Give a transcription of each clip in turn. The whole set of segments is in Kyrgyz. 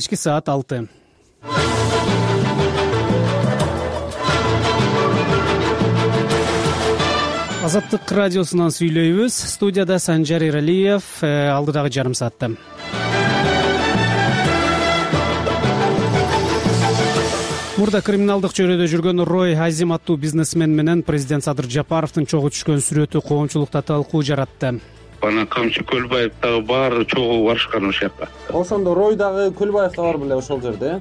Кечки саат 6. Азаттык радиосунан сүйлөйбүз. Студияда Санжар Иралиев. Алдыдагы жарым саатта мурда криминалдык чөйрөдө жүргөн Рой Азим аттуу бизнесмен менен президент Садыр Жапаровдун чогуу түшкөн сүрөтү коомчулукта талкуу жаратты. Бана Камчы Көлбаев дагы баары чогуу барышкан ошол жака. Ошондо Рой дагы Көлбаев да бар беле ошол жерде?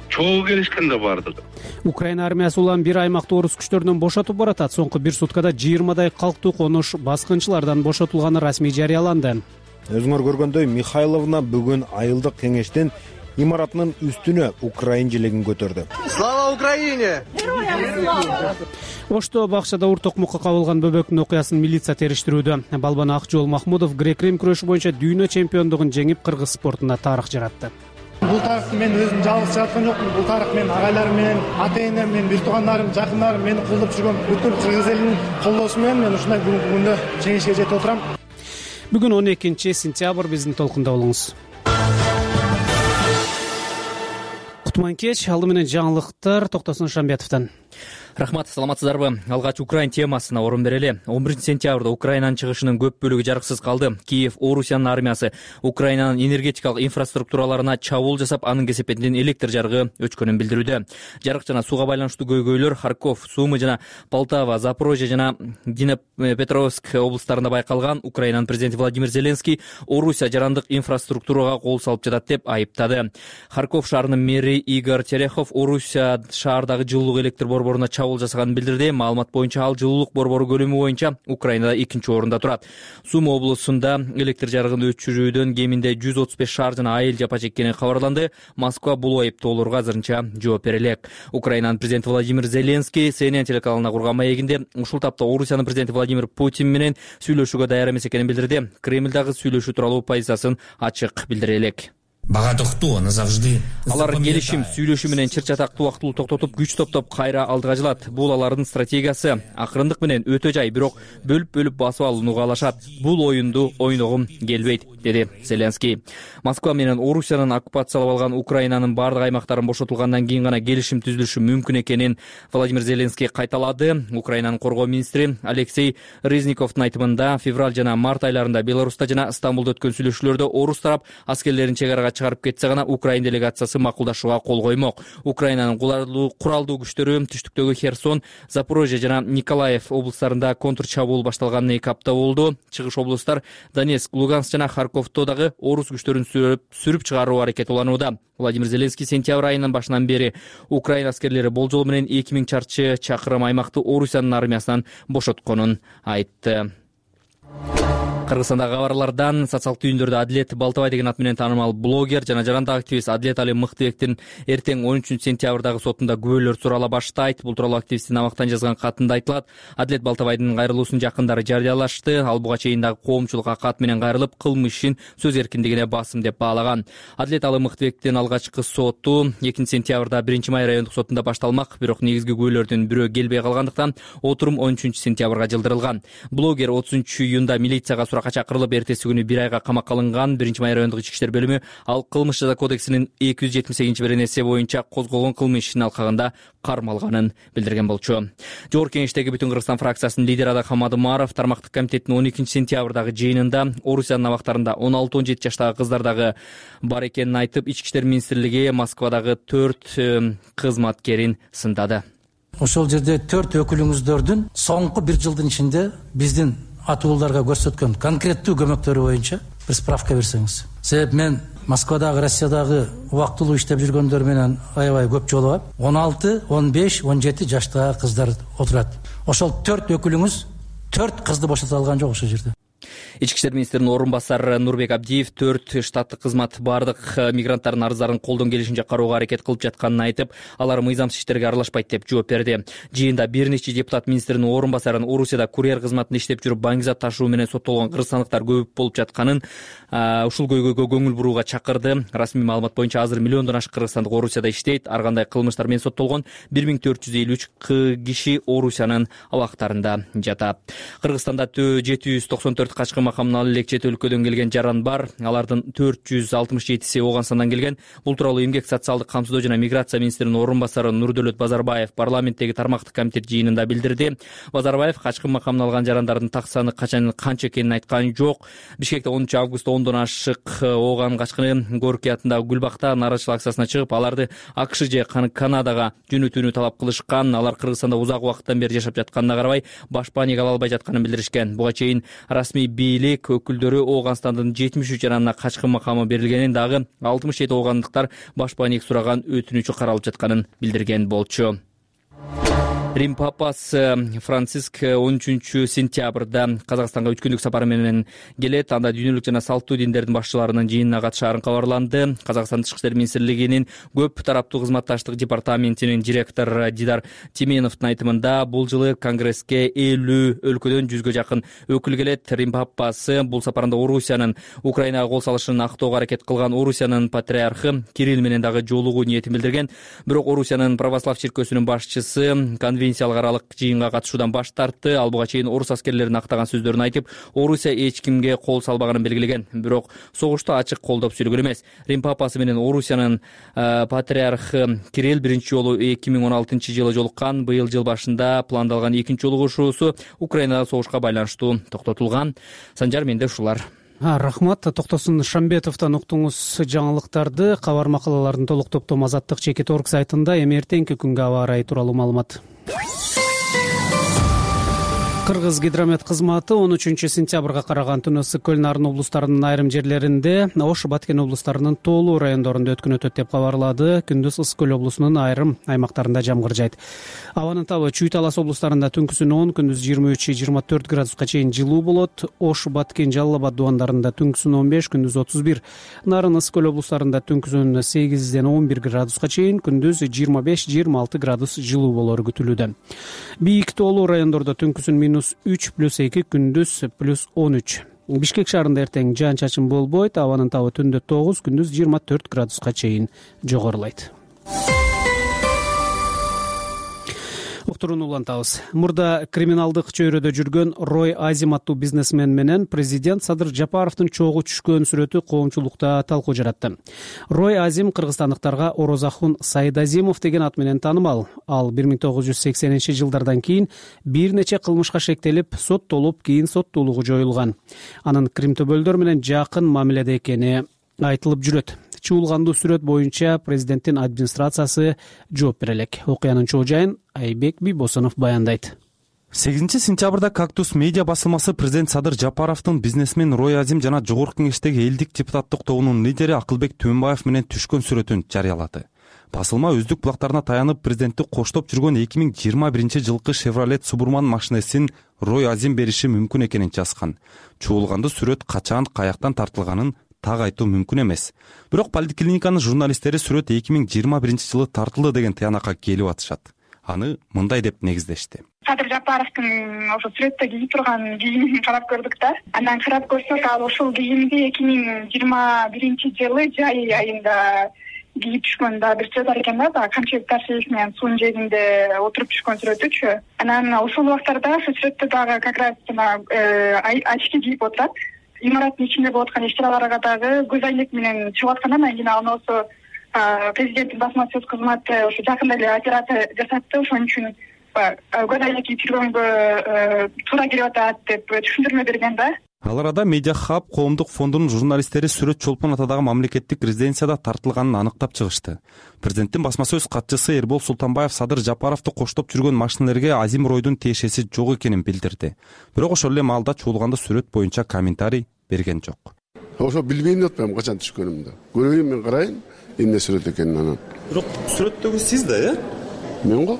Чогуу келишкен да бардык. Украина армиясы улам бир аймакты орус күчтөрүнөн бошотуп баратат. Соңку бир суткада 20дай калктуу конуш баскынчылардан бошотулганы расмий жарыяланды. Өзүңөр көргөндөй Михайловна бүгүн айылдык кеңештин имаратынын үстүнө Украин желегин көтөрдү. Слава Украине! Ошто бакчада ур токмокко кабылган бөбөктүн окуясын милиция териштирүүдө. Балбан Акжол Махмудов грек-рим күрөшү боюнча дүйнө чемпиондугун жеңип, кыргыз спортунда тарых жаратты. Бул тарыхты мен өзүм жалгыз жараткан жокмун. Бул тарых менин агайларым менен, ата-энем менен, бир туугандарым, жакындарым мени колдоп жүргөн бүткүл кыргыз элинин колдоосу менен мен ушундай бүгүнкү күндө жеңишке жетип отурам. Бүгүн 12-сентябрь, биздин толкунда болуңуз. Кутман кеч, алды менен жаңылыктар Токтосун Шамбетовдон. Рахмат, саламатсыздарбы? Алгач Украин темасына орун берели. 11-сентябрда Украинанын чыгышынын көп бөлүгү жарыксыз калды. Киев Орусиянын армиясы Украинанын энергетикалык инфраструктураларына чабуул жасап, анын кесепетинен электр жарыгы өчкөнүн билдирүүдө. Жарык жана сууга байланыштуу көйгөйлөр Харьков, Сумы жана Полтава, Запорожье жана Днепропетровск облустарында байкалган. Украинанын президенти Владимир Зеленский Орусия жарандык инфраструктурага кол салып жатат деп айыптады. Харьков шаарынын мэри Игорь Терехов Орусия шаардагы жылуулук электр борборуна чабуул жасаганын билдирди. Маалымат боюнча ал жылуулук борбору көлөмү боюнча Украинада 2-нчи орунда турат. Сумы облусунда электр жарыгын өчүрүүдөн кеминде 135 шаар жана айыл жапа чеккени кабарланды. Москва бул айыптоолорго азырынча жооп бере элек. Украинанын президенти Владимир Зеленский CNN телеканалына курган маегинде ушул тапта Орусиянын президенти Владимир Путин менен сүйлөшүүгө даяр эмес экенин билдирди. Кремль дагы сүйлөшүү тууралуу позициясын ачык билдире элек. Алар келишим, сүйлөшүү менен чыр-чатакты убактылуу токтотуп, күч топтоп кайра алдыга жылат. Бул алардын стратегиясы. Акырындык менен өтө жай, бирок бөлүп басып алууну каалашат. Бул оюнду ойногум келбейт, деди Зеленский. Москва менен Орусиянын оккупациялап алган Украинанын бардык аймактарын бошотулгандан кийин гана келишим түзүлүшү мүмкүн экенин Владимир Зеленский кайталады. Украинанын коргоо министри Алексей Резниковдун айтымында февраль жана март айларында Беларуста жана Стамбулда өткөн сүйлөшүүлөрдө орус тарап аскерлерин чек арага чыгарып кетсе гана Украин делегациясы макулдашууга кол коймок. Украинанын куралдуу күчтөрү түштүктөгү Херсон, Запорожье жана Николаев облустарында контрчабуул башталганына 2 апта болду. Чыгыш облустар Донецк, Луганск жана Харьковдо дагы орус күчтөрүн сүрүп чыгаруу аракети уланууда. Владимир Зеленский сентябрь айынын башынан бери Украина аскерлери болжол менен 2000 чарчы чакырым аймакты Орусиянын армиясынан бошотконун айтты. Кыргызстандагы кабарлардан социалдык түйүндөрдө Адилет Балтабай деген ат менен таанымал блогер жана жарандык активист Адилет Али Мыктыбектин эртең 13-сентябрдагы сотунда күбөлөр сурала баштайт. Бул тууралуу активисттин абактан жазган катында айтылат. Адилет Балтабайдын кайрылуусун жакындары жарыялашты. Ал буга чейин дагы коомчулукка кат менен кайрылып, кылмыш ишин сөз эркиндигине басым деп баалаган. Адилет Али Мыктыбектин алгачкы соту 2-сентябрда 1-май райондук сотунда башталмак, бирок негизги күбөлөрдүн бирөө келбей калгандыктан отурум 13-сентябрга жылдырылган. Блогер 30-июнда милицияга суракка чакырылып, эртеси күнү 1 айга камакка алынган. 1-май райондук ички иштер бөлүмү ал кылмыш жаза кодексинин 278-беренеси боюнча козголгон кылмыш ишинин алкагында кармалганын билдирген болчу. Жогорку кеңештеги Бүтүн Кыргызстан фракциясынын лидери Адак Хамадымаров тармактык комитеттин 12-сентябрдагы жыйынында Орусиянын абактарында 16-17 жаштагы кыздар дагы бар экенин айтып, Ички иштер министрлиги Москвадагы 4 кызматкерин сындады. Ошол жерде 4 өкүлүңүздөрдүн соңку 1 жылдын ичинде биздин атууларга көрсөткөн конкреттүү көмөктөрү боюнча бир справка берсеңиз. Себеп мен Москвадагы, Россиядагы убактылуу иштеп жүргөндөр менен аябай көп жолугам. 16, 15, 17 жаштагы кыздар отурат. Ошол 4 өкүлүңүз 4 кызды бошото алган жок ошол жерде. Ички иштер министринин орун басары Нурбек Абдиев 4 штаттык кызмат бардык мигранттардын арыздарын колдон келишинче кароого аракет кылып жатканын айтып, алар мыйзамсыз иштерге аралашпайт деп жооп берди. Жыйында бир нече депутат министринин орун басарын Орусияда курьер кызматында иштеп жүрүп баңгизат ташуу менен соттолгон кыргызстандыктар көп болуп жатканын, ушул көйгөйгө көңүл бурууга чакырды. Расмий маалымат боюнча азыр миллиондон ашык кыргызстандык Орусияда иштейт. Ар кандай кылмыштар менен соттолгон 1453 киши Орусиянын абактарында жатат. Кыргызстанда 794 Качкын макамынан элек чет өлкөдөн келген жаран бар. Алардын 467си Ооганстандан келген. Бул тууралуу Эмгек социалдык камсыздоо жана миграция министринин орун басары Нурдөлөт Базарбаев парламенттеги тармактык комитет жыйынында билдирди. Базарбаев Качкын макамынан алган жарандардын так саны канча экенин айткан жок. Бишкекте 10 августта 10дон ашык Ооган Качкыны Горький атындагы Гүлбакта нааразычылык акциясына чыгып, аларды АКШ же Канадага жөнөтүүнү талап кылышкан. Алар Кыргызстанда узак убакыттан бери жашап жатканына карабай башпаанияга ала албай жатканын билдиришкен. Буга чейин расмий бийлик өкүлдөрү Ооганстандын 73 жаранына Качкын макамы берилгенин, дагы 67 оогандыктар башпаанияга сураган өтүнүчү каралып жатканын билдирген болчу. Рим папасы Франциск 13 сентябрда Казакстанга 3 күндүк сапары менен келет. Анда дүйнөлүк жана салттуу диндердин башчыларынын жыйынына катышаарын кабарланды. Казакстан Тышкы иштер министрлигинин көп тараптуу кызматташтык департаментинин директору Дидар Тименовдун айтымында бул жылы конгресске 50 өлкөдөн 100гө жакын өкүл келет. Рим папасы бул сапарында Орусиянын Украинага кол салышын актоого аракет кылган Орусиянын патриархы Кирилл менен дагы жолугуу ниетин билдирген. Бирок Орусиянын православ чиркөөсүнүн башчысы конвенциялык аралык жыйынга катышуудан баш тартты. Ал буга чейин орус аскерлерин актаган сөздөрүн айтып, Орусия эч кимге кол салбаганын белгилеген. Бирок согушту ачык колдоп сүйлөгөн эмес. Рим папасы менен Орусиянын патриархы Кирилл биринчи жолу 2016-жылы жолуккан. Быйыл жыл башында пландалган экинчи жолугушуусу Украинада согушка байланыштуу токтотулган. Санжар, менде ушулар. Рахмат. Токтосун Шамбетовдон уктуңуз жаңылыктарды. Кабар макалалардын толук топтому Азаттык /org сайтында. Эми эртеңки күнгө аба ырайы тууралуу маалымат. Кыргыз гидромет кызматы 13 сентябрга караган түнү Ысык-Көл, Нарын облустарынын айрым жерлеринде, Ош, Баткен облустарынын тоолуу райондорунда өткөн өтөт деп кабарлады. Күндүз Ысык-Көл облусунун айрым аймактарында жамгыр жайт. Абанын табы Чүй Талас облустарында түнкүсүн 10, күндүз 23-24 градуска чейин жылуу болот. Ош, Баткен, Жалал Абад дубандарында түнкүсүн 15, күндүз 31. Нарын, Ысык-Көл облустарында түнкүсүн 8-ден 11 градуска чейин, күндүз 25-26 градус жылуу болору күтүлүүдө. Бийик тоолуу райондордо түнкүсүн -3+2, күндүз +13. Бишкек шаарында эртең жаан чачын болбойт. Абанын табы түндө 9, күндүз 24 градуска чейин жогорулайт. Уктурууну улантабыз. Мурда криминалдык чөйрөдө жүргөн Рой Азим аттуу бизнесмен менен президент Садыр Жапаровдун чогуу түшкөн сүрөтү коомчулукта талкуу жаратты. Рой Азим кыргызстандыктарга Орозахун Сайдазимов деген ат менен таанымал. Ал 1980-жылдардан кийин бир нече кылмышка шектелип, соттолуп, кийин соттуулугу жоюлган. Анын Крим төбөлдөр менен жакын мамиледе экени айтылып жүрөт. Чуулгандуу сүрөт боюнча президенттин администрациясы жооп бере элек. Окуянын чоо жайын Айбек Бибосунов баяндайт. 8 сентябрда Кактус медиа басылмасы президент Садыр Жапаровдун бизнесмен Рой Азим жана жогорку кеңештеги элдик депутаттык тобунун лидери Акылбек Түөнбаев менен түшкөн сүрөтүн жарыялады. Басылма өздүк булактарына таянып президентти коштоп жүргөн 2021-жылкы Chevrolet Suburban машинесин Рой Азим бериши мүмкүн экенин жазган. Чуулгандуу сүрөт качан, каяктан тартылганын так айтуу мүмкүн эмес. Бирок поликлиниканын журналисттери сүрөт 2021-жылы тартылды деген тыянакка келип атышат. Аны мындай деп негиздешти. Садыр Жапаровдун ошо сүрөттө кийип турган кийимин карап көрдүк да. Андан карап көрсөк, ал ошол кийимди 2021-жылы жай айында кийип түшкөн да бир сөз бар экен да, Камчыбек Таршиев менен суунун жээгинде отуруп түшкөн сүрөтүчү. Анан ошол убактарда ошол сүрөттө дагы как раз очки кийип отурат. Имараттын ичинде болуп аткан иш-чараларга дагы көз айнек менен чыгып аткан. Анан кийин алсо президенттин басма сөз кызматы ошо жакында эле операция жасатты. Ошон үчүн көз айнек кийип жүргөнгө туура келип атат деп түшүндүрмө берген да. Ал арада Медиа Хаб коомдук фондунун журналисттери сүрөт Чолпон атадагы мамлекеттик резиденцияда тартылганын аныктап чыгышты. Президенттин басма сөз катчысы Эрбол Султанбаев Садыр Жапаровду коштоп жүргөн машинелерге Азим Ройдун тиешеси жок экенин билдирди. Бирок ошол эле маалда чуулганда сүрөт боюнча комментарий берген жок. Ошо билбейм атпайм качан түшкөнүмдү. Көрөйүн, мен карайын, эмне сүрөт экенин анан. Бирок сүрөттөгү сиз да, Мен го.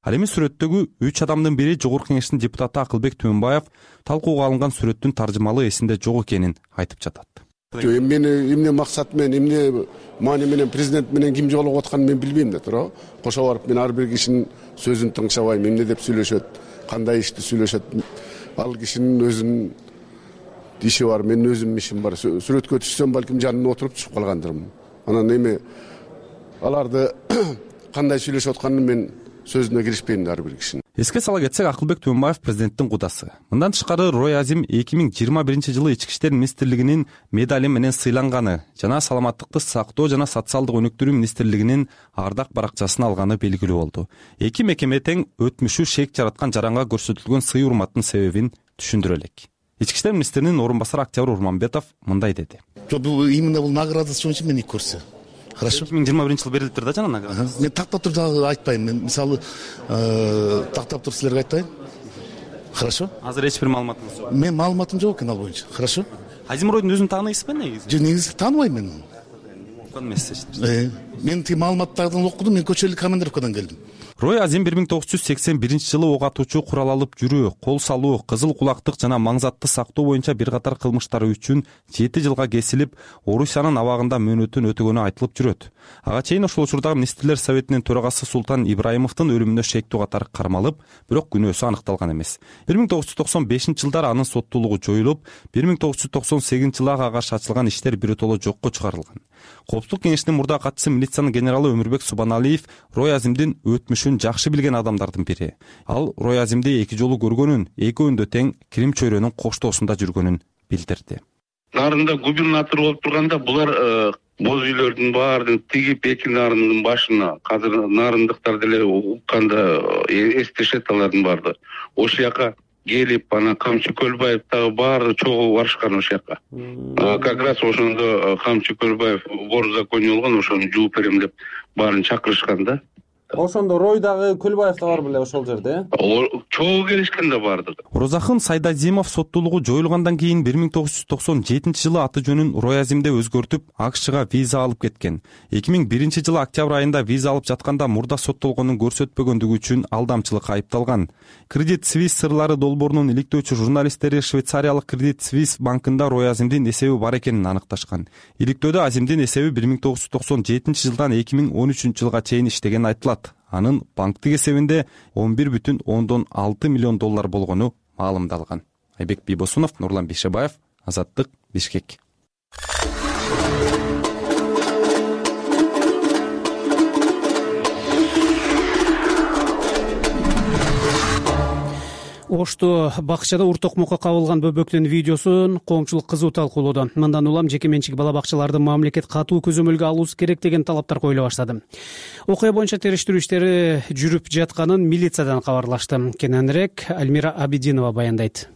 Ал эми сүрөттөгү 3 адамдын бири жогорку кеңештин депутаты Акылбек Түөнбаев талкууга алынган сүрөттүн таржымалы эсинде жок экенин айтып жатат. Мени эмне максат менен, эмне маани менен президент менен ким жолугуп атканын мен билбейм да, туурабы? Кошо барып мен ар бир кишинин сөзүн тыңшабайм, эмне деп сүйлөшөт, кандай ишти сүйлөшөт. Ал кишинин өзүнүн иши бар, менин өзүмдүн ишим бар. Сүрөткө түшсөм балким жанына отуруп түшүп калгандырмын. Анан эми аларды кандай сүйлөшүп атканын мен сөзүнө киришпейм ар бир кишинин. Эске сала кетсек, Акылбек Төөнбаев президенттин кудасы. Мындан тышкары Рой Азим 2021 Ички иштер министрлигинин медали менен сыйланганы жана саламаттыкты сактоо жана социалдык өнүктүрүү министрлигинин ардак баракчасын алганы белгилүү болду. Эки мекеме тең өтмүшү шек жараткан жаранга көрсөтүлгөн сый урматтын себебин түшүндүрө элек. Ички иштер министринин орун басары Октябрь Урманбетов мындай деди. Именно бул награда үчүн мени көрсө. Хорошо. 2021 жыл берилиптир да жана награда. Мен тактап туруп айтпайм. Мен мисалы тактап туруп силерге айтайын. Хорошо. Азыр эч бир маалыматыңыз жок. Мен маалыматым жок экен ал боюнча. Хорошо. Азим Ройдун өзүн тааныйсызбы негизи? Жок, негизи тааныбайм мен. Окуган эмессиз. Мен тиги маалыматтардан окудум, мен көчөлүк командировкадан келдим. Рой Азим 1981 жылы ок атуучу курал алып жүрүү, кол салуу, кызыл кулактык жана маңзатты сактоо боюнча бир катар кылмыштары үчүн 7 жылга кесилип, Орусиянын абагында мөөнөтүн өтөгөнү айтылып жүрөт. Ага чейин ошол учурдагы министрлер советинин төрагасы Султан Ибраимовдун өлүмүнө шектүү катары кармалып, бирок күнөөсү аныкталган эмес. 1995 жылдары анын соттуулугу жоюлуп, 1998 жылы ага каршы ачылган иштер биротоло жокко чыгарылган. Коопсуздук кеңешинин мурдагы катчысы милициянын генералы Өмүрбек Субаналиев Рой Азимдин өтмүшүн жакшы билген адамдардын бири. Ал Рой Азимди 2 жолу көргөнүн, экөөндө тең Крим чөйрөнүн коштоосунда жүргөнүн билдирди. Нарында губернатор болуп турганда булар боз үйлөрдүн баарын тигип эки нарындын башына, азыр нарындыктар деле укканда эстешет алардын баарды. Ошол жака келип, ана Камчы Көлбаев дагы баары чогуу барышкан ошол жака. Как раз ошондо Камчы Көлбаев вор в законе болгон, ошону жууп берем деп баарын чакырышкан да. Ошондо Ройдагы Көлбаев да бар беле ошол жерде? Чогуу келишкен да бардык. Оразакын Сайдазимов соттуулугу жоюлгандан кийин 1997 жылы аты жөнүн Рой Азимде өзгөртүп, АКШга виза алып кеткен. 2001 жылы октябрь айында виза алып жатканда мурда соттолгонун көрсөтпөгөндүгү үчүн алдамчылыкка айыпталган. Кредит Suisse сырлары долбоорунун иликтөөчү журналисттери Швейцариялык Кредит Suisse банкында Рой Азимдин эсеби бар экенин аныкташкан. Иликтөөдө Азимдин эсеби 1997 жылдан 2013 жылга чейин иштеген айтылат. Анын банктык эсебинде 11,6 миллион доллар болгону маалымдалган. Айбек Бийбосунов, Нурлан Бейшебаев, Азаттык, Бишкек. Ошто бакчада ур токмокко кабылган бөбөктүн видеосун коомчулук кызуу талкуулоодо. Мындан улам жеке менчик бала бакчаларды мамлекет катуу көзөмөлгө алуусу керек деген талаптар коюла баштады. Окуя боюнча териштирүү иштери жүрүп жатканын милициядан кабарлашты. Кененирээк Альмира Абидинова баяндайт.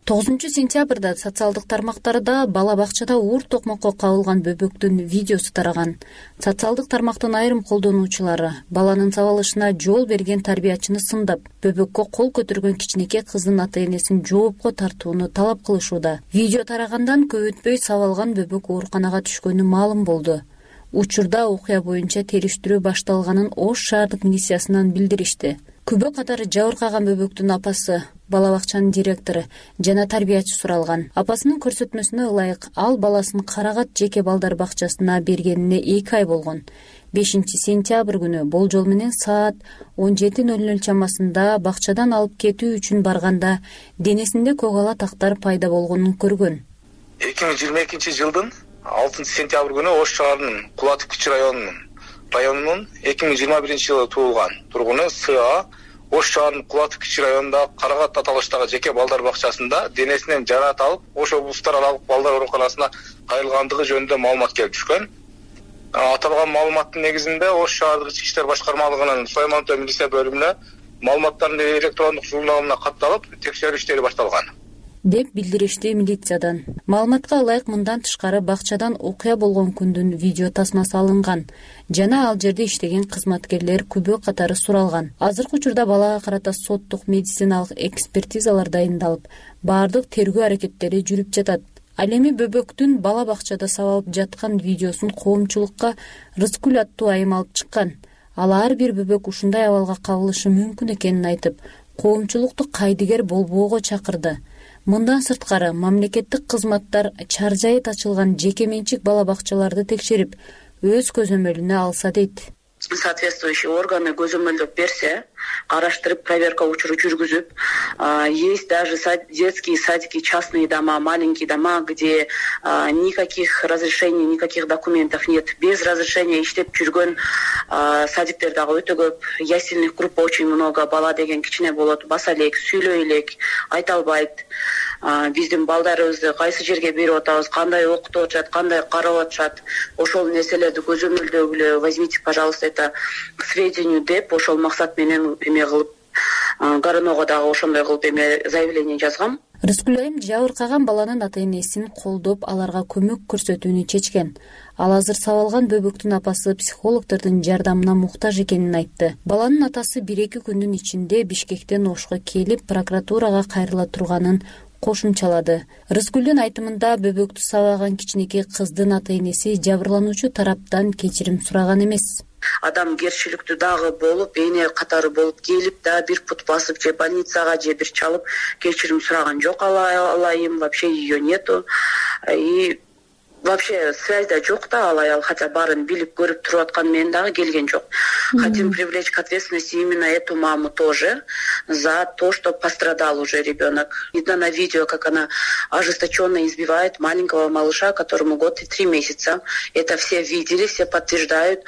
9-сентябрда социалдык тармактарда бала бакчада уур токмокко кабылган бөбөктүн видеосу тараган. Социалдык тармактын айрым колдонуучулары баланын сабалышына жол берген тарбиячыны сындап, бөбөккө кол көтөргөн кичинекей кыздын ата-энесин жоопко тартууну талап кылышууда. Видео тарагандан көп өтпөй сабалган бөбөк ооруканага түшкөнү маалым болду. Учурда окуя боюнча териштирүү башталганын Ош шаардык милициясынан билдиришти. Күбө катары жабыркаган бөбөктүн апасы, бала бакчанын директору жана тарбиячы суралган. Апасынын көрсөтмөсүнө ылайык ал баласын Карагат жеке балдар бакчасына бергенине 2 ай болгон. 5-сентябрь күнү болжол менен саат 17:00 чамасында бакчадан алып кетүү үчүн барганда денесинде көгала тактар пайда болгонун көргөн. 2022 жылдын 6-сентябрь күнү Ош шаарынын Кулатов Кичи районунун 2021 жылы туулган тургуну СА Ош шаарынын Кулатов Кичи районундагы Карагат аталыштагы жеке балдар бакчасында денесинен жараат алып, Ош облустаралык балдар ооруканасына кайрылгандыгы жөнүндө маалымат келип түшкөн. Аталган маалыматтын негизинде Ош шаардык ички иштер башкармалыгынын Сулайман Төө милиция бөлүмүнө маалыматтардын электрондук журналына катталып, текшерүү иштери башталган деп билдиришти милициядан. Маалыматка ылайык мындан тышкары бакчадан окуя болгон күндүн видео тасмасы алынган жана ал жерде иштеген кызматкерлер күбө катары суралган. Азыркы учурда балага карата соттук медициналык экспертизалар дайындалып, баардык тергөө аракеттери жүрүп жатат. Ал эми бөбөктүн бала бакчада сабалып жаткан видеосун коомчулукка Рыскүл аттуу айым алып чыккан. Ал ар бир бөбөк ушундай абалга кабылышы мүмкүн экенин айтып, коомчулукту кайдыгер болбоого чакырды. Мындан сырткары мамлекеттик кызматтар чаржайыт ачылган жеке менчик бала бакчаларды текшерип, өз көзөмөлүнө алса дейт. Соответствующий органы көзөмөлдөп берсе, караштырып проверка учуру жүргүзүп, есть даже детские садики, частные дома, маленькие дома, где никаких разрешений, никаких документов нет. Без разрешения иштеп жүргөн садиктер дагы өтө көп. Ясельных групп очень много. Бала деген кичине болот, баса элек, сүйлөй элек, айта албайт. Биздин балдарыбызды кайсы жерге берип атабыз, кандай окутуп атышат, кандай карап атышат, ошол нерселерди көзөмөлдөгүлө, возьмите, пожалуйста, это к сведению деп, ошол максат менен эме кылып, Горунова дагы ошондой кылып заявление жазгам. Рыскүл айым жабыркаган баланын ата-энесин колдоп, аларга көмөк көрсөтүүнү чечкен. Ал азыр сабалган бөбөктүн апасы психологдордун жардамына муктаж экенин айтты. Баланын атасы 1-2 күндүн ичинде Бишкектен Ошко келип, прокуратурага кайрыла турганын кошумчалады. Рыскүлдүн айтымында бөбөктү сабаган кичинекей кыздын ата-энеси жабырлануучу тараптан кечирим сураган эмес. Адамгерчиликтүү дагы болуп, эне катары болуп келип да бир пут басып же больницага же бир чалып кечирим сураган жок. Алайым, вообще ее нету. И вообще связь да жок да, ал аял, хотя баарын билип көрүп туруп аткан менен дагы келген жок. Хотим привлечь к ответственности именно эту маму тоже за то, что пострадал уже ребенок. Видно на видео, как она ожесточенно избивает маленького малыша, которому 1 год и 3 месяца. Это все видели, все подтверждают.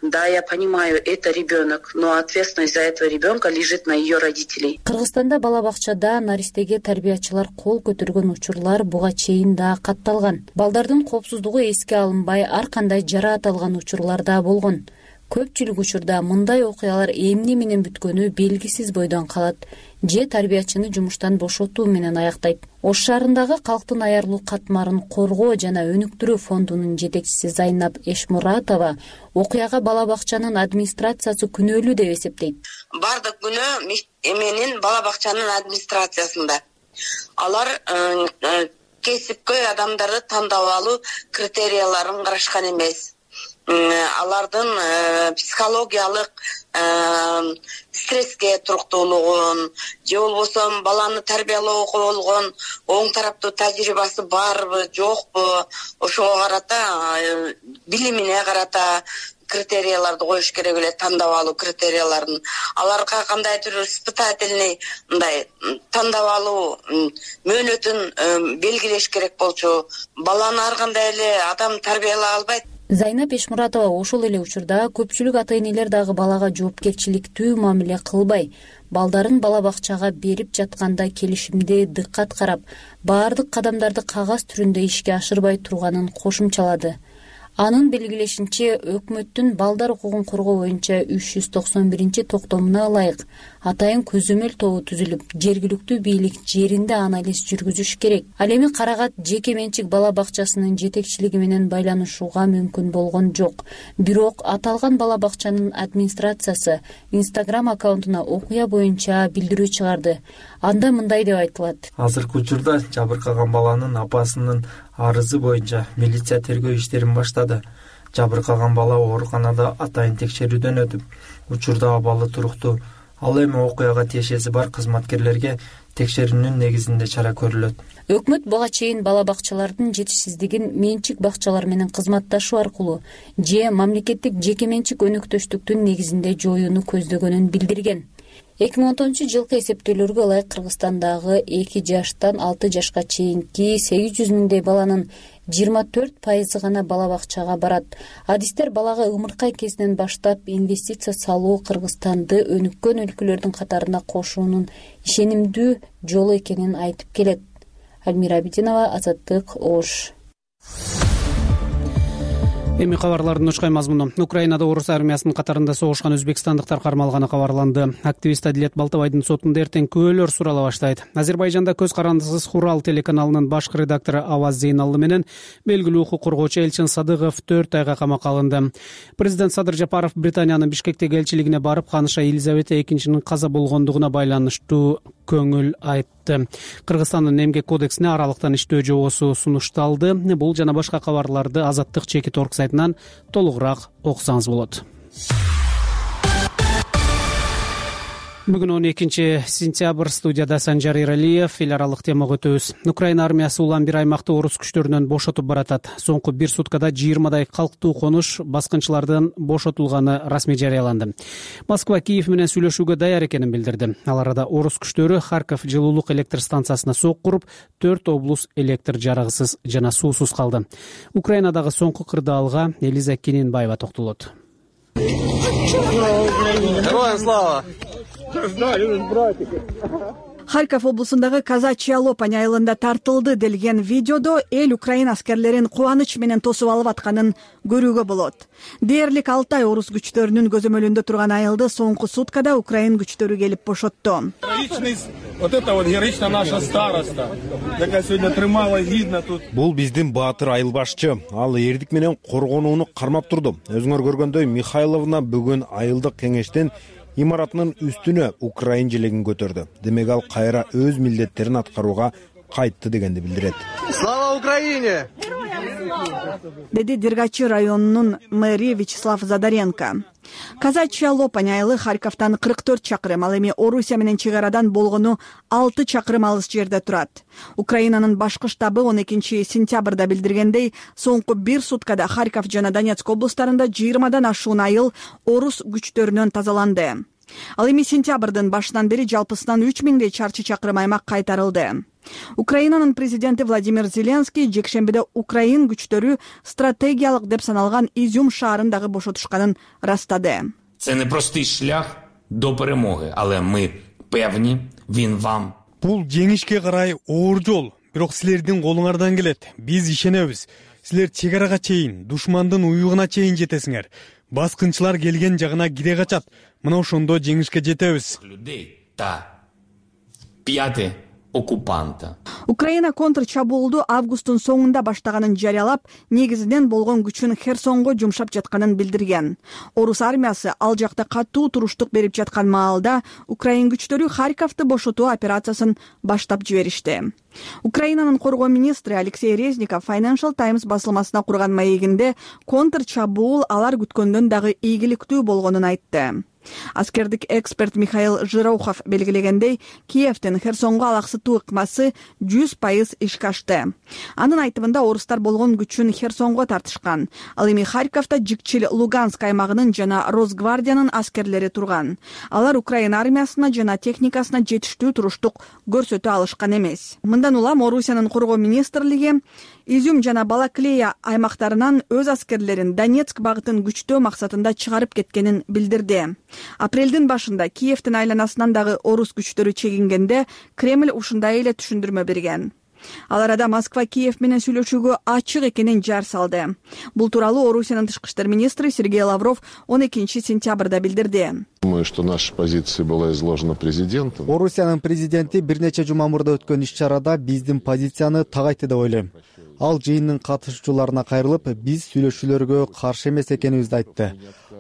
Да, я понимаю, это ребенок, но ответственность за этого ребенка лежит на ее родителей. Кыргызстанда бала бакчада наристеге тарбиячылар кол көтөргөн учурлар буга чейин да катталган. Балдардын коопсуздугу эске алынбай, ар кандай жараат алган учурлар да болгон. Көпчүлүк учурда мындай окуялар эмне менен бүткөнү белгисиз бойдон калат же тарбиячыны жумуштан бошотуу менен аяктайт. Ош шаарындагы калктын аярлуу катмарын коргоо жана өнүктүрүү фондунун жетекчиси Зайнап Эшмуратова окуяга бала бакчанын администрациясы күнөөлүү деп эсептейт. Бардык күнөө эменин бала бакчанын администрациясында. Алар кесипкөй адамдарды тандап алуу критерияларын карашкан эмес. Алардын психологиялык стресске туруктуулугун же болбосо баланы тарбиялоого болгон оң тараптуу тажрыйбасы барбы жокпу, ошого карата, билимине карата критерияларды коюш керек эле, тандап алуу критерияларын. Аларга кандайдыр испытательный мындай тандап алуу мөөнөтүн белгилеш керек болчу. Баланы ар кандай эле адам тарбиялай албайт. Зайнап Эшмуратова ошол эле учурда көпчүлүк ата-энелер дагы балага жоопкерчиликтүү мамиле кылбай, балдарын бала бакчага берип жатканда келишимде дыккат карап, баардык кадамдарды кагаз түрүндө ишке ашырбай турганын кошумчалады. Анын белгилешинче, өкмөттүн балдар укугун коргоо боюнча 391-токтомуна ылайык атайын көзөмөл тобу түзүлүп, жергиликтүү бийлик жеринде анализ жүргүзүш керек. Ал эми Карагат жеке менчик бала бакчасынын жетекчилиги менен байланышууга мүмкүн болгон жок. Бирок аталган бала бакчанын администрациясы Instagram аккаунтуна окуя боюнча билдирүү чыгарды. Анда мындай деп айтылат. Азыркы учурда жабыркаган баланын апасынын арызы боюнча милиция тергөө иштерин баштады. Жабыркаган бала ооруканада атайын текшерүүдөн өтүп, учурда абалы туруктуу. Ал эми окуяга тиешеси бар кызматкерлерге текшерүүнүн негизинде чара көрүлөт. Өкмөт буга чейин бала бакчалардын жетишсиздигин менчик бакчалар менен кызматташуу аркылуу же мамлекеттик жеке менчик өнөктөштүктүн негизинде жоюуну көздөгөнүн билдирген. 2010-жылкы эсептөөлөргө ылайык Кыргызстандагы 2 жаштан 6 жашка чейинки 800 миңдей баланын 24% гана бала бакчага барат. Адистер балага ымыркай кезинен баштап инвестиция салуу Кыргызстанды өнүккөн өлкөлөрдүн катарына кошуунун ишенимдүү жолу экенин айтып келет. Альмира Абидинова, Азаттык, Ош. Эми кабарлардын учкай мазмуну. Украинада орус армиясынын катарында согушкан өзбекстандыктар кармалганы кабарланды. Активист Адилет Балтабайдын сотунда эртең күбөлөр сурала баштайт. Азербайжанда көз карандысыз Хурал телеканалынын баш редактору Аваз Зейналлы менен белгилүү укук коргоочу Элчин Садыгов 4 айга камакка алынды. Президент Садыр Жапаров Британиянын Бишкектеги элчилигине барып, ханыша Елизавета II каза болгондугуна байланыштуу көңүл айтты. Кыргызстандын эмгек кодексине аралыктан иштөө жобосу сунушталды. Бул жана башка кабарларды Азаттык Чекит.org сайтынан толугураак окусаңыз болот. Бүгүн 12 сентябрь студияда Санжар Иралиев. Эл аралык темага өтөбүз. Украина армиясы улам бир аймакты орус күчтөрүнөн бошотуп баратат. Соңку бир суткада 20дай калктуу конуш баскынчылардан бошотулганы расмий жарыяланды. Москва Киев менен сүйлөшүүгө даяр экенин билдирди. Ал арада орус күчтөрү Харьков жылуулук электр станциясына сок куруп, 4 облус электр жарыгысыз жана суусуз калды. Украинадагы соңку кырдаалга Элиза Кененбаева токтолот. Героям слава! Харьков облусундагы Казачья Лопань айылында тартылды делген видеодо эл Украина аскерлерин кубаныч менен тосуп алып атканын көрүүгө болот. Дээрлик 6 ай орус күчтөрүнүн көзөмөлүндө турган айылды соңку суткада Украин күчтөрү келип бошотту. Вот это вот героична наша староста, такая сегодня трымала видно тут. Бул биздин баатыр айыл башчы. Ал эрдик менен коргонууну кармап турду. Өзүңөр көргөндөй Михайловна бүгүн айылдык кеңештин имаратынын үстүнө Украин желегин көтөрдү. Демек ал кайра өз милдеттерин аткарууга кайтты дегенди билдирет. Слава Украине! Деди Дергачи районунун мэри Вячеслав Задаренко. Казачья Лопань айылы Харьковтан 44 чакырым, ал эми Орусия менен чек арадан болгону 6 чакырым алыс жерде турат. Украинанын башкы штабы 12 сентябрда билдиргендей, соңку бир суткада Харьков жана Донецк облустарында 20дан ашуун айыл орус күчтөрүнөн тазаланды. Ал эми сентябрдын башынан бери жалпысынан 3000 чарчы чакырым аймак кайтарылды. Украинанын президенти Владимир Зеленский жекшембиде Украин күчтөрү стратегиялык деп саналган Изюм шаарын дагы бошотушканын ырастады. Це не простий шлях до перемоги, але ми певні, він вам. Бул жеңишке карай оор жол, бирок силердин колуңардан келет. Биз ишенебиз. Силер чек арага чейин, душмандын уюгуна чейин жетесиңер. Баскынчылар келген жагына кире качат. Мына ошондо жеңишке жетебиз. Людей та пяты оккупанта. Украина контрчабуулду августтун соңунда баштаганын жарыялап, негизинен болгон күчүн Херсонго жумшап жатканын билдирген. Орус армиясы ал жакта катуу туруштук берип жаткан маалда Украин күчтөрү Харьковду бошотуу операциясын баштап жиберишти. Украинанын коргоо министри Алексей Резников Financial Times басылмасына курган маегинде контрчабуул алар күткөндөн дагы ийгиликтүү болгонун айтты. Аскердик эксперт Михаил Жирохов белгилегендей, Киевдин Херсонго алаксытуу ыкмасы 100% ишке ашты. Анын айтымында орустар болгон күчүн Херсонго тартышкан. Ал эми Харьковдо Жикчил Луганск аймагынын жана Росгвардиянын аскерлери турган. Алар Украина армиясына жана техникасына жетиштүү туруштук көрсөтө алышкан эмес. Мындан улам Орусиянын коргоо министрлиги Изюм жана Балаклея аймактарынан өз аскерлерин Донецк багытын күчтөө максатында чыгарып кеткенин билдирди. Апрелдин башында Киевдин айланасынан дагы орус күчтөрү чегингенде Кремль ушундай эле түшүндүрмө берген. Ал арада Москва Киев менен сүйлөшүүгө ачык экенин жар салды. Бул тууралуу Орусиянын тышкы иштер министри Сергей Лавров 12 сентябрда билдирди. Думаю, что наша позиция была изложена президентом. Орусиянын президенти бир нече жума мурда өткөн иш-чарада биздин позицияны так айтты деп ойлойм. Ал жыйындын катышуучуларына кайрылып, биз сүйлөшүүлөргө каршы эмес экенибизди айтты.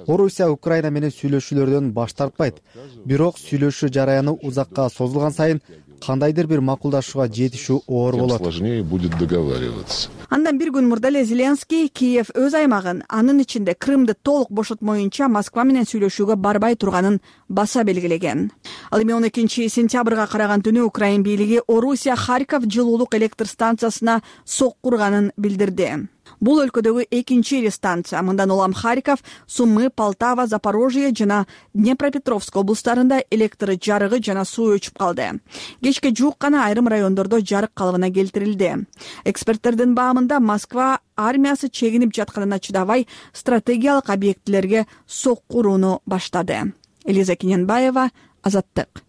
Орусия Украина менен сүйлөшүүлөрдөн баш тартпайт. Бирок сүйлөшүү жараяны узакка созулган сайын кандайдыр бир макулдашууга жетишүү оор болот. Сложнее будет договариваться. Андан бир күн мурда эле Зеленский Киев өз аймагын, анын ичинде Крымды толук бошотмоюнча Москва менен сүйлөшүүгө барбай турганын баса белгилеген. Ал эми 12 сентябрга караган түнү Украин бийлиги Орусия Харьков жылуулук электр станциясына сок курганын билдирди. Бул өлкөдөгү экинчи ири станция. Мындан улам Харьков, Сумы, Полтава, Запорожье жана Днепропетровск облустарында электр жарыгы жана суу өчүп калды. Кечке жуук гана айрым райондордо жарык калыбына келтирилди. Эксперттердин баамында Москва армиясы чегинип жатканына чыдабай стратегиялык объектилерге сок курууну баштады. Элиза Кененбаева, Азаттык.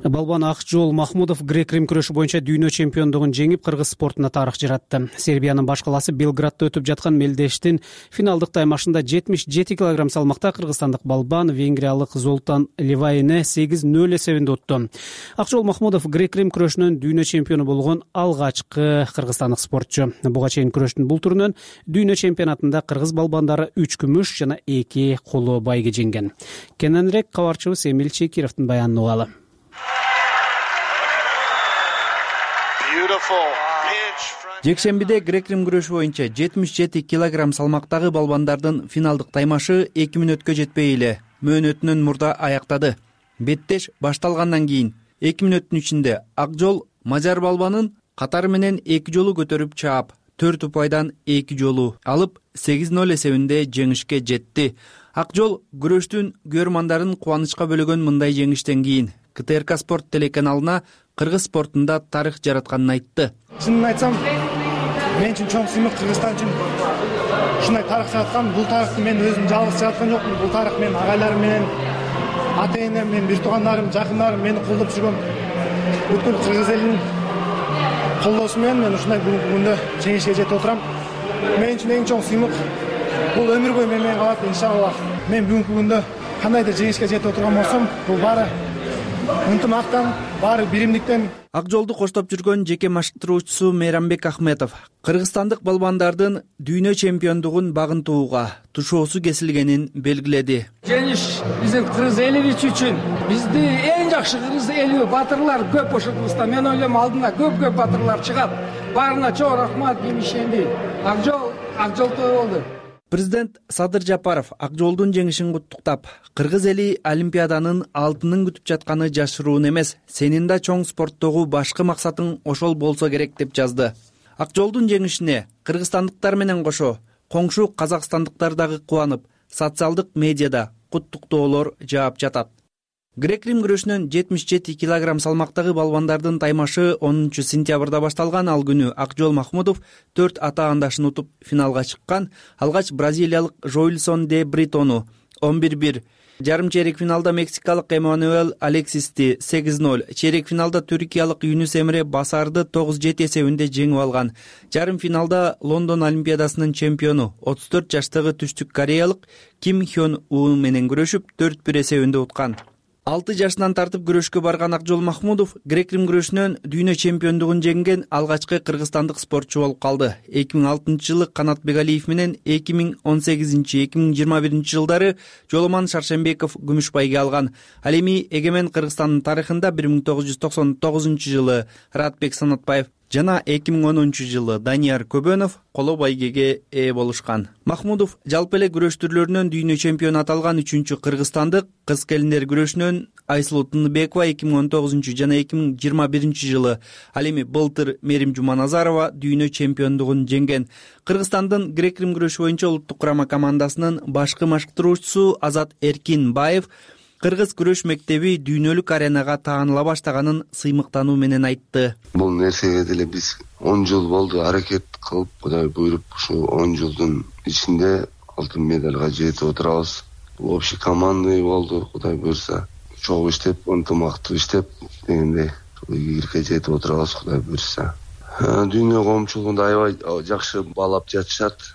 Балбан Акжол Махмудов грек-рим күрөшү боюнча дүйнө чемпиондугун жеңип, кыргыз спортуна тарых жаратты. Сербиянын баш калаасы Белградда өтүп жаткан мелдештин финалдык таймашында 77 кг салмакта кыргызстандык балбан венгриялык Золтан Ливайны 8-0 эсебинде утту. Акжол Махмудов грек-рим күрөшүнөн дүйнө чемпиону болгон алгачкы кыргызстандык спортчу. Буга чейин күрөштүн бул түрүнөн дүйнө чемпионатында кыргыз балбандары 3 күмүш жана 2 коло байге жеңген. Кененирээк кабарчыбыз Эмил Чекировдун баянын угалы. Жекшембиде грек-рим күрөшү боюнча 77 килограмм салмактагы балбандардын финалдык таймашы 2 мүнөткө жетпей эле мөөнөтүнөн мурда аяктады. Беттеш башталгандан кийин 2 мүнөттүн ичинде Акжол мажар балбанын катары менен 2 жолу көтөрүп чаап, 4 упайдан 2 жолу алып 8-0 эсебинде жеңишке жетти. Акжол күрөштүн көрөрмандарын кубанычка бөлөгөн мындай жеңиштен кийин КТРК спорт телеканалына кыргыз спортунда тарых жаратканын айтты. Чынын айтсам, мен үчүн чоң сыймык, Кыргызстан үчүн ушундай тарых жараткан. Бул тарыхты мен өзүм жалгыз жараткан жокмун. Бул тарых мен агайларым менен, ата-энем менен, бир туугандарым, жакындарым мени колдоп жүргөн бүткүл кыргыз элинин колдоосу менен мен ушундай бүгүнкү күндө жеңишке жетип отурам. Мен үчүн эң чоң сыймык бул өмүр бою менен калат иншалла. Мен бүгүнкү күндө кандайдыр жеңишке жетип отурган болсом, бул баары ынтымактан, баары биримдиктен. Акжолду коштоп жүргөн жеке машыктыруучусу Мейрамбек Ахметов кыргызстандык балбандардын дүйнө чемпиондугун багынтууга тушоосу кесилгенин белгиледи. Жеңиш биздин кыргыз элибиз үчүн, бизди эң жакшы кыргыз эли батырлар көп ошондуктан мен ойлойм алдында көп батырлар чыгат. Баарына чоң рахмат, мен ишендим. Акжолдо болду. Президент Садыр Жапаров Акжолдун жеңишин куттуктап, кыргыз эли Олимпиаданын алтынын күтүп жатканы жашыруун эмес, сенин да чоң спорттогу башкы максатың ошол болсо керек деп жазды. Акжолдун жеңишине кыргызстандыктар менен кошо коңшу казакстандыктар дагы кубанып, социалдык медиада куттуктоолор жаап жатат. Грек-рим күрөшүнөн 77 килограмм салмактагы балбандардын таймашы 10 сентябрда башталган. Ал күнү Акжол Махмудов 4 атаандашын утуп финалга чыккан. Алгач бразилиялык Жойлсон де Бритону 11-1, жарым чейрек финалда мексикалык Эммануэл Алексисти 8-0, чейрек финалда түркиялык Юнус Эмре Басарды 9-7 эсебинде жеңип алган. Жарым финалда Лондон Олимпиадасынын чемпиону 34 жаштагы түштүк кореялык Ким Хён У менен күрөшүп 4-1 эсебинде уткан. 6 жашынан тартып күрөшкө барган Акжол Махмудов грек-рим күрөшүнөн дүйнө чемпиондугун жеңген алгачкы кыргызстандык спортчу болуп калды. 2006 жылы Канат Бегалиев менен 2018-2021 жылдары Жоломан Шаршембеков күмүш байге алган. Ал эми эгемен Кыргызстандын тарыхында 1999 жылы Радбек Санатбаев жана 2010 жылы Данияр Көбөнов коло байгеге ээ болушкан. Махмудов жалпы эле күрөш түрлөрүнөн дүйнө чемпиону аталган 3-чү кыргызстандык. Кыз келиндер күрөшүнөн Айсулуу Тыныбекова 2019 жана 2021 жылы, ал эми былтыр Мерим Жуманазарова дүйнө чемпиондугун жеңген. Кыргызстандын грек-рим күрөшү боюнча улуттук курама командасынын башкы машыктыруучусу Азат Эркинбаев кыргыз күрөш мектеби дүйнөлүк аренага тааныла баштаганын сыймыктануу менен айтты. Бул нерсеге деле биз 10 жыл болду аракет кылып, Кудай буйруп, ушу 10 жылдын ичинде алтын медалга жетип отурабыз. Бул общий командный болду, Кудай буйруса. Чогуу иштеп, ынтымактуу иштеп дегендей ийгиликке жетип отурабыз, Кудай буйруса. Дүйнө коомчулугунда аябай жакшы баалап жатышат,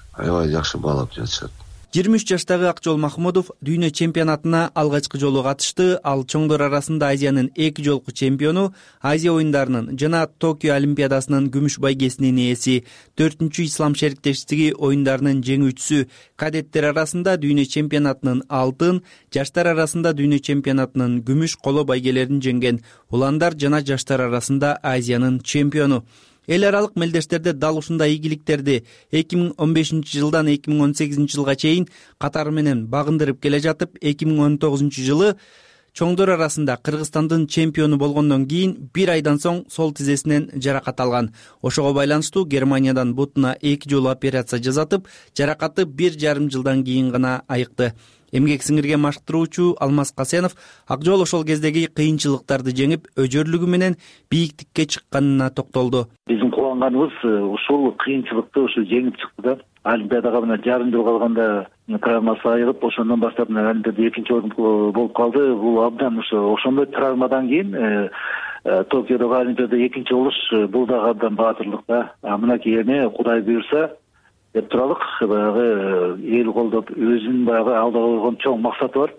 23 жаштагы Акжол Махмудов дүйнө чемпионатына алгачкы жолу катышты. Ал чоңдор арасында Азиянын 2 жолку чемпиону, Азия оюндарынын жана Токио Олимпиадасынын күмүш байгесинин ээси, 4-чү ислам шериктештиги оюндарынын жеңүүчүсү, кадеттер арасында дүйнө чемпионатынын алтын, жаштар арасында дүйнө чемпионатынын күмүш коло байгелерин жеңген. Уландар жана жаштар арасында Азиянын чемпиону. Эл аралык мелдештерде дал ушундай ийгиликтерди 2015 жылдан 2018 жылга чейин катары менен багындырып келе жатып, 2019 жылы чоңдор арасында Кыргызстандын чемпиону болгондон кийин 1 айдан соң сол тизесинен жаракат алган. Ошого байланыштуу Германиядан бутуна 2 жолу операция жасатып, жаракаты 1,5 жылдан кийин гана айыкты. Эмгек сиңирген машыктыруучу Алмаз Касенов Акжол ошол кездеги кыйынчылыктарды жеңип, өжөрлүгү менен бийиктикке чыкканына токтолду. Биздин кубанганыбыз ушул кыйынчылыкты ушу жеңип чыкты да. Олимпиадага мына жарым жыл калганда травмасы айыгып, ошондон баштап Олимпиада 2-чи орун болуп калды. Бул абдан ошондой травмадан кийин Токиодогу Олимпиада 2-чи болуш бул дагы абдан баатырлык да. Мынакей эми Кудай буйруса деп туралык, баягы эл колдоп өзүнүн баягы алдыга койгон чоң максаты бар.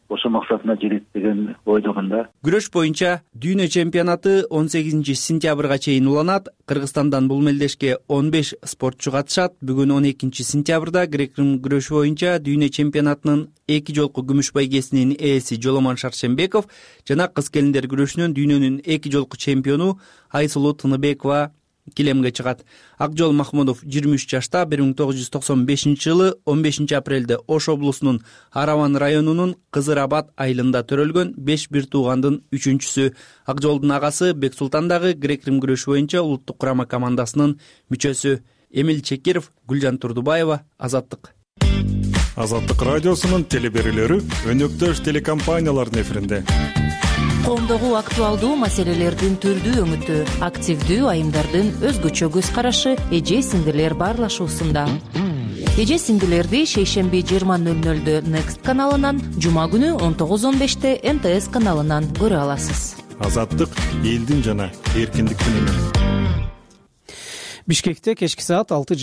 Ошол максатына жетет деген ойдомун да. Күрөш боюнча дүйнө чемпионаты 18 сентябрга чейин уланат. Кыргызстандан бул мелдешке 15 спортчу катышат. Бүгүн 12 сентябрда грек-рим күрөшү боюнча дүйнө чемпионатынын 2 жолку күмүш байгесинин ээси Жоломан Шаршембеков жана кыз келиндер күрөшүнөн дүйнөнүн 2 жолку чемпиону Айсулуу Тыныбекова килемге чыгат. Акжол Махмудов 23 жашта 1995-жылы 15 апрелде Ош облусунун Араван районунун Кызыр Абад айылында төрөлгөн 5 бир туугандын 3-чүсү. Акжолдун агасы Бексултан дагы грек-рим күрөшү боюнча улуттук курама командасынын мүчөсү. Эмил Чекиров, Гүлжан Турдубаева, Азаттык. Азаттык радиосунун телеберүүлөрү өнөктөш телекомпаниялардын эфиринде. Коомдогу актуалдуу маселелердин түрдүү өңүтү, активдүү айымдардын өзгөчө көз карашы эже сиңдилер баарлашуусунда. Эже сиңдилерди шейшемби 20:00 Next каналынан, жума күнү 19:15 МТС каналынан көрө аласыз. Азаттык элдин жана эркиндиктин үнү. Бишкекте кечки саат 6